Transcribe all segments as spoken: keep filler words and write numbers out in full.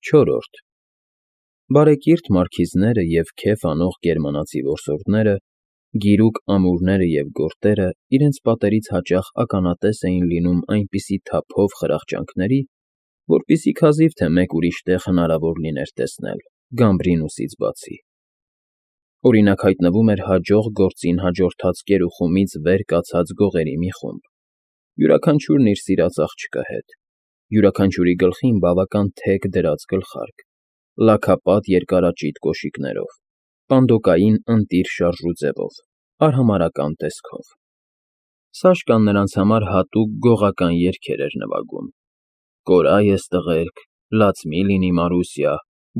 Չորրորդ Բարեկիրթ մարքիզները և քեֆ անող գերմանացի որսորդները, գիրուկ ամուրները և գորտերը իրենց պատերից հաճախ ականատես էին լինում այնպիսի թափով խրախճանքների, որպիսի քազիվ թե մեկ ուրիշ տեղ հնարավոր լիներ տեսնել, Գամբրինուսից բացի. օրինակ, հայտնվում էր հաջող գործին հաջորդած կերուխումից վեր կացած գողերի մի խումբ, յուրաքանչյուրն իր սիրած աղջկա հետ, յուրաքանչյուրի գլխին բավական թեք դրած գլխարկ, լաքապատ երկարաճիտ կոշիկներով, պանդոկային ընտիր շարժուձևով, արհամարհական տեսքով. Սաշկան նրանց համար հատուկ գողական երգեր էր նվագում. «Կորա ես տղերք», «Լաց մի լինի Մարուսյա»,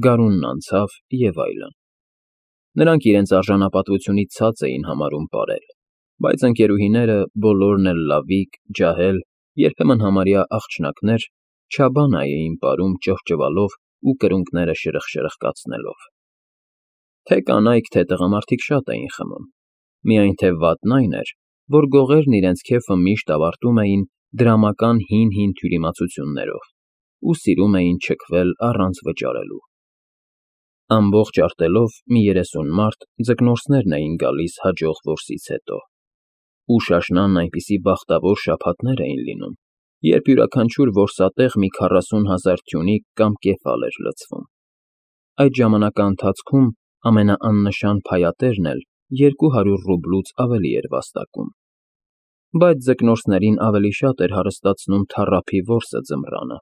«Գարունն անցավ» և այլն. Նրանք իրենց արժանապատվությունից ցած էին համարում պարել, բայց ընկերուհիները, բոլորն էլ լավիկ, ջահել, երբեմն համարյա աղջնակներ, չաբանա էին պարում ճղճվալով ու կրունկները շրխկշրխկացնելով. Թե կանայք, թե տղամարդիկ շատ էին խմում, միայն թե վատն այն էր, որ գողերն իրենց քեֆը միշտ ավարտում էին դրամական հին֊հին թյուրիմացություններով ու սիրում էին չքվել առանց վճարելու. ամբողջ արտելով մի երեսուն մարդ ձկնորսներն էին գալիս հաջող որսից հետո, ու շաշնանն այնպիսի բախտավոր շաբաթներ էին լինում, երբ յուրաքանչյուր որսատեղ մի քառասուն հազար թյունիկ կամ կեֆալ էր լցվում. այդ ժամանակի ընթացքում ամենաաննշան փայատերն էլ երկու հարյուր ռուբլուց ավելի էր վաստակում, բայց ձկնորսներին ավելի շատ էր հարստացնում թառափի որսը ձմռանը,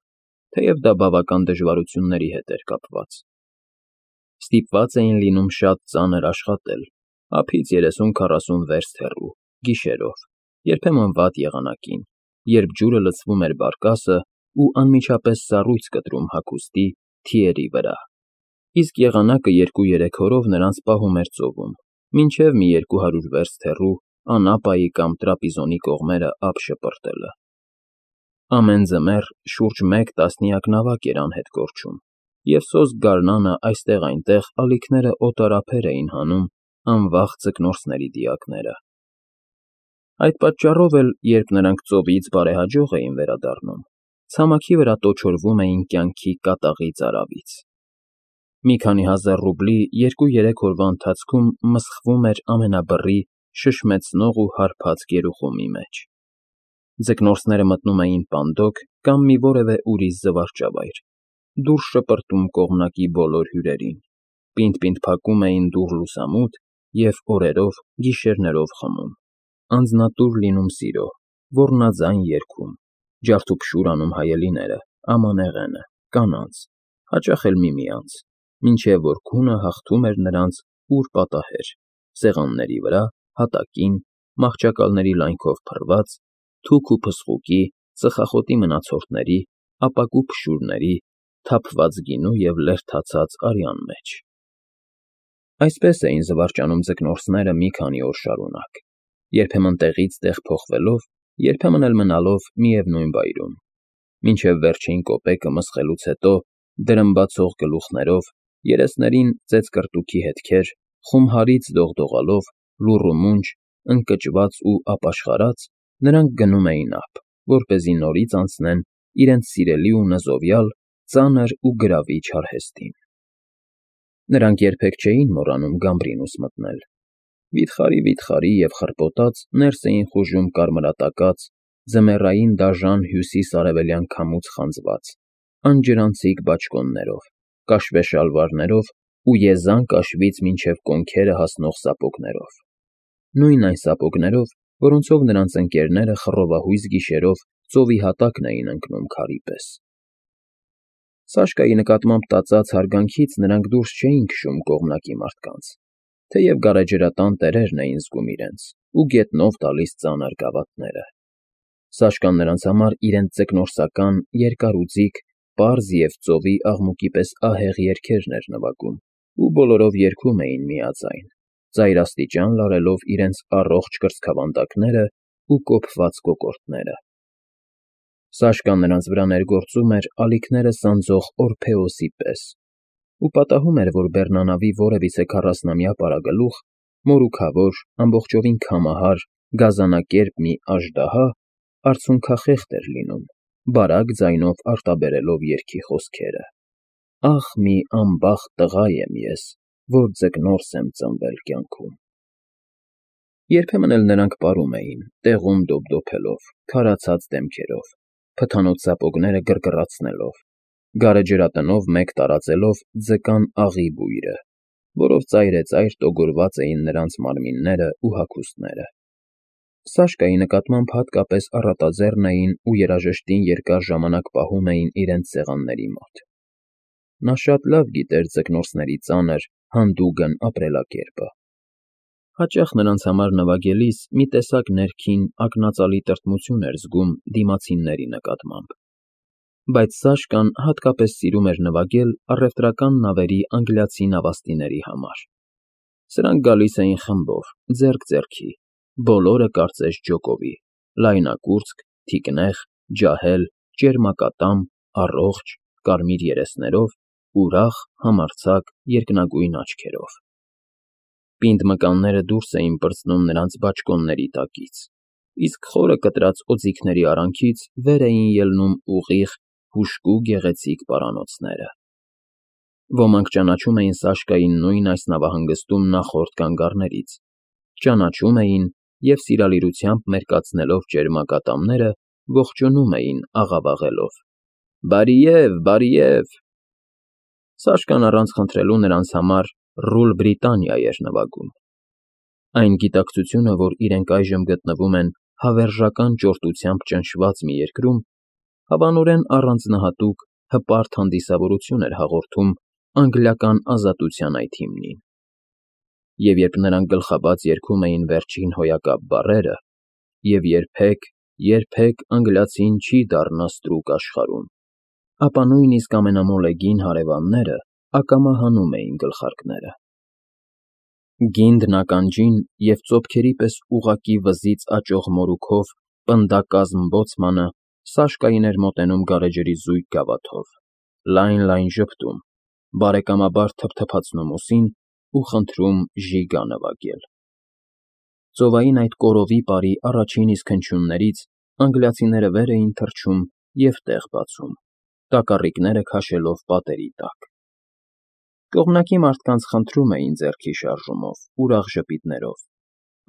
թեև դա բավական դժվարությունների հետ էր կապված. Ստիպված էին լինում շատ ծանր աշխատել, ափից երեսուն֊քառասուն վերստ հեռու, գիշերով, երբեմն վատ եղանակին, երբ ջուրը լցվում էր բարկասը ու անմիջապես սառույց կտրում հագուստի, թիերի վրա, իսկ եղանակը երկու֊երեք օրով նրանց պահում էր ծովում, մինչև մի երկու հարյուր վերստ հեռու Անապայի կամ Տրապիզոնի կողմերը ափ շպրտելը. ամեն ձմեռ շուրջ մեկ տասնյակ նավակ էր անհետ կորչում, և սոսկ գարնանը այստեղ֊այնտեղ ալիքները օտար ափեր էին հանում անվախ ձկնորսների դիակները. Այդ պատճառով էլ, երբ նրանք ծովից բարեհաջող էին վերադառնում, ցամաքի վրա տոչորվում էին կյանքի կատաղի ծարավից. մի քանի հազար ռուբլի երկու֊երեք օրվա ընթացքում մսխվում էր ամենաբռի, շշմեցնող ու հարբած գերուխումի մեջ. ձկնորսները մտնում էին պանդոկ կամ մի որևէ ուրիշ զվարճավայր, դուրս շպրտում կողմնակի բոլոր հյուրերին, պինդ֊պինդ փակում էին դուռ լուսամուտ և օրերով, գիշերներով խմում, անձնատուր լինում սիրո, ոռնաձայն երգում, ջարդուփշուր անում հայելիները, ամանեղենը, կանանց, հաճախ էլ միմյանց, մինչև որ քունը հաղթում էր նրանց ուր պատահեր, սեղանների վրա, հատակին, մահճակալների լայնքով փռված, թուք ու փսխուկի, ծխախոտի մնացորդների, ապակու փշուրների, թափված գինու և լերդացած արյան մեջ. Այսպես էին զվարճանում ձկնորսները մի քանի օր շարունակ, երբեմն տեղից տեղ փոխվելով, երբեմն էլ մնալով միևնույն վայրում, մինչև վերջին կոպեկը մսխելուց հետո դրմբացող գլուխներով, երեսներին ծեծկռտուքի հետքեր, խումհարից դողդողալով, լուռ ու մունջ, ընկճված ու ապաշխարած, նրանք գնում էին ափ, որպեսզի նորից անցնեն իրենց սիրելի ու նզովյալ, ծանր ու գրավիչ արհեստին. Նրանք երբեք չէին մոռանում Գամբրինուս մտնել. վիթխարի֊վիթխարի և խռպոտած ներս էին խուժում կարմրատակած, ձմեռային դաժան հյուսիս֊արևելյան քամուց խանձված, անջրանցիկ բաճկոններով, կաշվե շալվարներով ու եզան կաշվից մինչև կոնքերը հասնող սապոգներով, նույն այն սապոգներով, որոնցով նրանց ընկերները խռովահույզ գիշերով ծովի հատակն էին ընկնում քարի պես. Սաշկայի նկատմամբ տածած հարգանքից նրանք դուրս չէին քշում կողմնակի մարդկանց, թեև գարեջրատան տերերն էին զգում իրենց ու գետնով տալիս ծանր գավաթները. Սաշկան նրանց համար իրենց ձկնորսական, երկարուձիգ, պարզ և ծովի աղմուկի պես ահեղ երգերն էր նվագում ու բոլորով երգում էին միաձայն, ծայրաստիճան լարելով իրենց առողջ կրծքավանդակներն ու կոփված կոկորդները. Սաշկան նրանց վրա ներգործում էր ալիքները սանձող Օրփեոսի պես ու պատահում էր, որ բեռնանավի որևիցե քառասնամյա պարագլուխ, մորուքավոր, ամբողջովին քամահար, գազանակերպ մի աժդահա արցունքախեղդ էր լինում, բարակ ձայնով արտաբերելով երգի խոսքերը. Ախ, մի անբախտ տղա եմ ես, որ ձկնորս եմ ծնվել կյանքում։ Երբեմն էլ նրանք պարում էին, տեղում դոփդոփելով, քարացած դեմքերով, փթանոց սապոգները գրգռացնելով, գարեջրատնով մեկ տարածելով ձկան աղի բույրը, որով ծայրեծայր տոգորված էին նրանց մարմիններն ու հագուստները։ Սաշկայի նկատմամբ հատկապես առատաձեռն էին ու երաժշտին երկար ժամանակ պահում էին իրենց սեղանների մոտ։ Նա շատ լավ գիտեր ձկնորսների ծանր, հանդուգն ապրելակերպը։ Հաճախ նրանց համար նվագելիս մի տեսակ ներքին, ակնածալի տրտմություն էր զգում դիմացինների նկատմամբ։ Բայց Սաշկան հատկապես սիրում էր նվագել առևտրական նավերի անգլիացի նավաստիների համար։ Սրանք գալիս էին խմբով, ձեռք ձեռքի, բոլորը կարծես ջոկովի, լայնակուրծք, թիկնեղ, ջահել, ճերմակատամ, առողջ, կարմիր երեսներով, ուրախ, համարձակ, երկնագույն աչքերով։ Պինդ մկանները դուրս էին պրծնում նրանց բաճկոնների տակից, իսկ խորը կտրած օձիքների արանքից վեր էին ելնում ուղիղ, հուժկու գեղեցիկ պարանոցները։ Ոմանք ճանաչում էին Սաշկային նույն այս նավահանգստում նախորդ կանգառներից, ճանաչում էին և սիրալիրությամբ մերկացնելով ճերմակատամները, ողջունում էին աղավաղելով. «Բարիև, բարիև»։ Սաշկան առանց խնդրելու նրանց համար «Ռուլ Բրիտանիա» էր նվագում։ Այն գիտակցությունը, որ իրենք այժմ գտնվում են հավերժական ճորտությամբ ճնշված մի երկրում, հավանորեն առանձնահատուկ, հպարտ հանդիսավորություն էր հաղորդում անգլիական ազատության այդ հիմնին։ Եվ երբ նրանք գլխաբաց երգում էին վերջին հոյակապ բառերը. «Եվ երբեք, երբեք անգլիացին չի դառնա ստրուկ աշխարհում», ապա նույնիսկ ամենամոլեգին հարևանները ակամա հանում էին գլխարկները։ Գինդն ականջին և ծոփքերի պես ուղղակի վզից աճող մորուքով պնդակազմ բոցմանը Սաշկային էր մոտենում գարեջրի զույգ գավաթով, լայն֊լայն ժպտում, բարեկամաբար թփթփացնում ուսին ու խնդրում ժիգա նվագել։ Ծովային այդ կորովի պարի առաջին իսկ հնչյուններից անգլիացիները վեր էին թռչում և տեղ բացում, տակառիկները քաշելով պատերի տակ։ Կողմնակի մարդկանց խնդրում էին ձեռքի շարժումով, ուրախ ժպիտներով,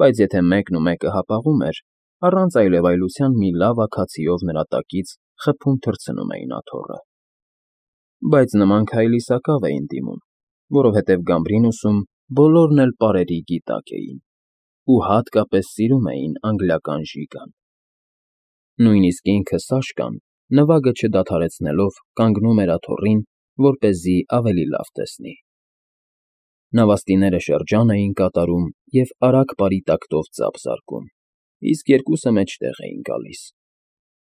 բայց եթե մեկն ու մեկը հապաղում էր, առանց այլևայլության մի լավ աքացիով նրա տակից խփում թռցնում էին աթոռը։ Բայց նման քայլի սակավ էին դիմում, որովհետև Գամբրինուսում բոլորն էլ պարերի գիտակ էին ու հատկապես սիրում էին անգլիական ժիգան։ Նույնիսկ ինքը Սաշկան, նվագը չդադարեցնելով, կանգնում էր աթոռին, որպեսզի ավելի լավ տեսնի։ Նավաստիները շրջան էին կատարում և արագ պարի տակտով ծափ զարկում, իսկ երկուսը մեջտեղ էին գալիս։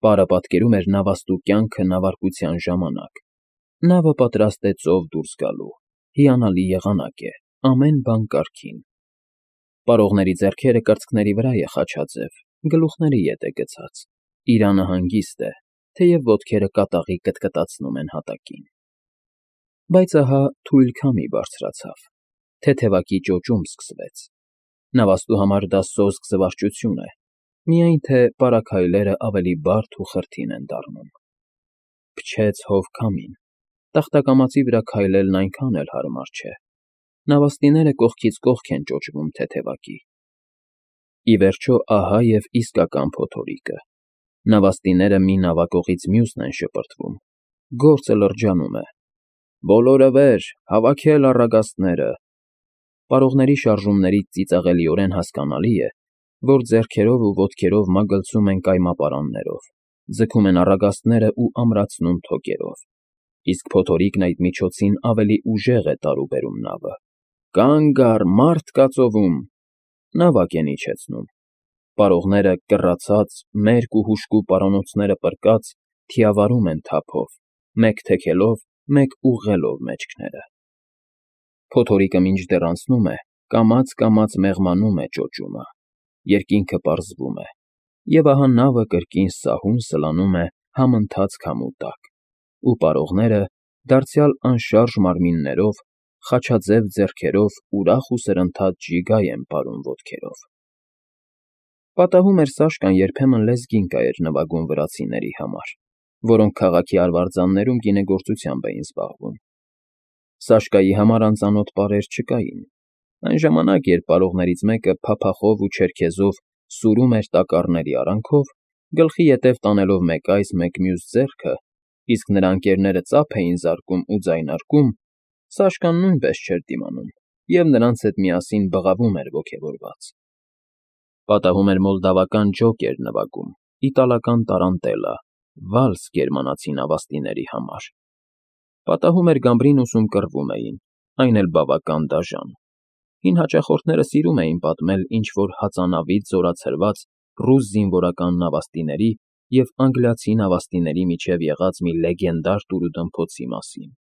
Պարը պատկերում էր նավաստու կյանքը նավարկության ժամանակ։ Նավը պատրաստ է ծով դուրս գալու, հիանալի եղանակ է, ամեն բան կարգին։ Պարողների ձեռքերը կրծքների վրա է խաչաձև, գլուխների ետ է գցած, իրանը հանգիստ է, թեև ոտքերը կատաղի կտկտացնում են հատակին։ Բայց ահա թույլ քամի բարձրացավ, թեթևակի ճոճում սկսվեց։ Նավաստու համար դա սոսկ զվարճություն է, միայն թե պարաքայլերը ավելի բարդ ու խրթին են դառնում։ Փչեց հով քամին, տախտակամածի վրա քայլելն այնքան էլ հարմար չէ։ Նավաստիները կողքից կողք են ճոճվում թեթևակի։ Ի վերջո, ահա և իսկական փոթորիկը։ Նավաստիները մի նավակողից մյուսն են շպրտվում, գործը լրջանում է։ «Բոլորը վեր, հավաքել առագաստները»։ Պարողների շարժումներից ծիծաղելիորեն հասկանալի է, որ ձեռքերով ու ոտքերով մագլցում են կայմապարաններով, ձգում են առագաստները ու ամրացնում թոկերով, իսկ փոթորիկն այդ միջոցին ավելի ուժեղ է տարուբերում նավը։ «Կանգ առ, մարդ կա ծովում»։ Նավակ են իջեցնում։ Պարողները, կռացած, մերկ ու հուժկու պարանոցները պռկած, թիավարում են թափով, մեկ թեքելով, մեկ ուղղելով մեջքները։ Փոթորիկը մինչդեռ անցնում է, կամաց֊կամաց մեղմանում է ճոճումը, երկինքը պարզվում է, և ահա նավը կրկին սահուն սլանում է համընթաց քամու տակ, ու պարողները, դարձյալ անշարժ մարմիններով, խաչաձև ձեռքերով ուրախ ու սրընթաց ժիգա են պարում ոտքերով։ Պատահում էր Սաշկան երբեմն լեզգինկա էր նվագում վրացիների համար, որոնք քաղաքի արվարձաններում գինեգործությամբ էին զբաղվում, Սաշկայի համար անծանոթ բառեր չկային։ Այն ժամանակ, երբ պարողներից մեկը փափախով ու չերքեզով սուրում էր տակառների արանքով, գլխի ետև տանելով մեկ այս, մեկ մյուս ձեռքը, իսկ նրա ընկերները ծափ էին զարկում ու ձայնարկում, Սաշկան նույնպես չէր դիմանում և նրանց հետ միասին բղավում էր ոգևորված. պատահում էր մոլդավական ջոկ էր նվագում, իտալական տարանտելա, վալս գերմանացի նավաստիների համար, պատահում էր գամբրին ուսում կռվում էին, այն էլ բավական դաժան, հին հաճախորդները սիրում էին պատմել ինչ֊որ հածանավից զորացրված ռուս զինվորական նավաստիների և անգլիացի նավաստիների միջև եղած մի լեգենդար տուր֊ու֊դմփոցի մասին.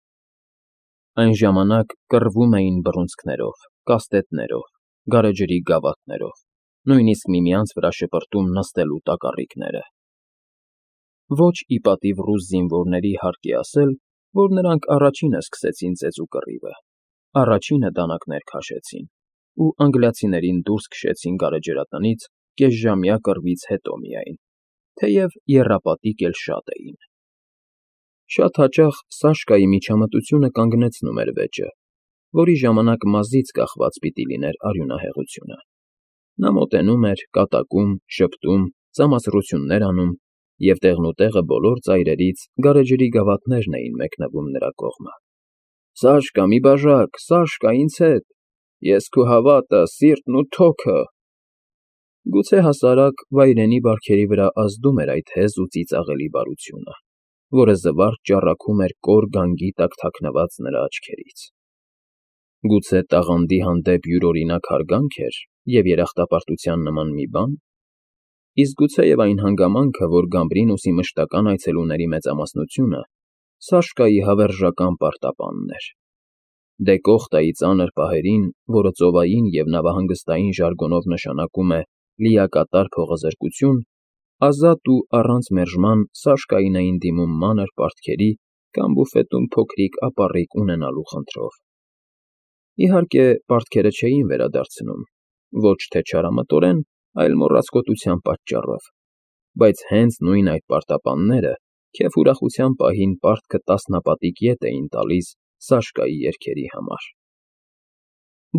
Այն ժամանակ կռվում էին բռունցքներով, կաստետներով, գարեջրի գավաթներով, նույնիսկ միմյանց վրա շպրտում նստելու տակառիկները։ Ոչ ի պատիվ ռուս զինվորների հարկ է ասել, որ նրանք առաջինը սկսեցին ծեծու կռիվը, առաջինը դանակներ քաշեցին ու անգլիացիներին դուրս քշեցին գարեջրատնից կեսժամյա կռվից հետո միայն, թեև եռապատիկ էլ շատ էին։ Շատ հաճախ Սաշկայի միջամտությունը կանգնեցնում էր վեճը, որի ժամանակ մազից կախված պիտի լիներ արյունահեղությունը։ Նա մոտենում էր, կատակում, ժպտում, ծամացռություններ անում, և տեղնուտեղը բոլոր ծայրերից գարեջրի գավաթներն էին մեկնվում նրա կողմը։ ֊ Սաշկա, մի բաժակ, Սաշկա, ինձ հետ, ես քո հավատը, սիրտն ու թոքը… Գուցե հասարակ վայրենի բարքերի վրա ազդում էր այդ հեզ ու ծիծաղելի բարությունը, որը զվարթ ճառագում էր կոր գանգի տակ թաքնված նրա աչքերից։ Գուցե տաղանդի հանդեպ յուրօրինակ հարգանք էր և երախտապարտության նման մի բան։ Իսկ գուցեև այն հանգամանքը, որ Գամբրինուսի մշտական այցելուների մեծամասնությունը Սաշկայի հավերժական պարտապանն էր։ Դեկոխտայի ծանր պահերին, որը ծովային և նավահանգստային ժարգոնով նշանակում է լիակատար փողազրկություն, ազատ ու առանց մերժման Սաշկային էին դիմում մանր պարտքերի կամ բուֆետում փոքրիկ ապառիկ ունենալու խնդրով։ Իհարկե, պարտքերը չէին վերադարձնում, ոչ թե չարամտորեն, այլ մոռացկոտության պատճառով, բայց հենց նույն այդ պարտապանները քեֆ ուրախության պահին պարտքը տասնապատիկ ետ էին տալիս Սաշկայի երգերի համար։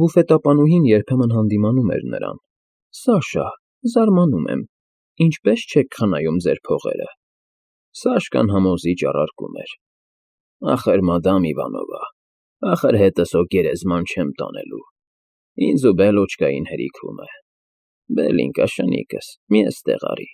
Բուֆետապանուհին երբեմն հանդիմանում էր նրան. «Սաշա, զարմանում եմ, ինչպե՞ս չեք խնայում ձեր փողերը»։ Սաշկան համոզիչ առարկում էր. «Ախր, մադամ Իվանովա, ախր հետս հո գերեզման չեմ տանելու, ինձ ու Բելոչկային հերիքում է, Բելինկա, շնիկս, մի էստեղ արի»։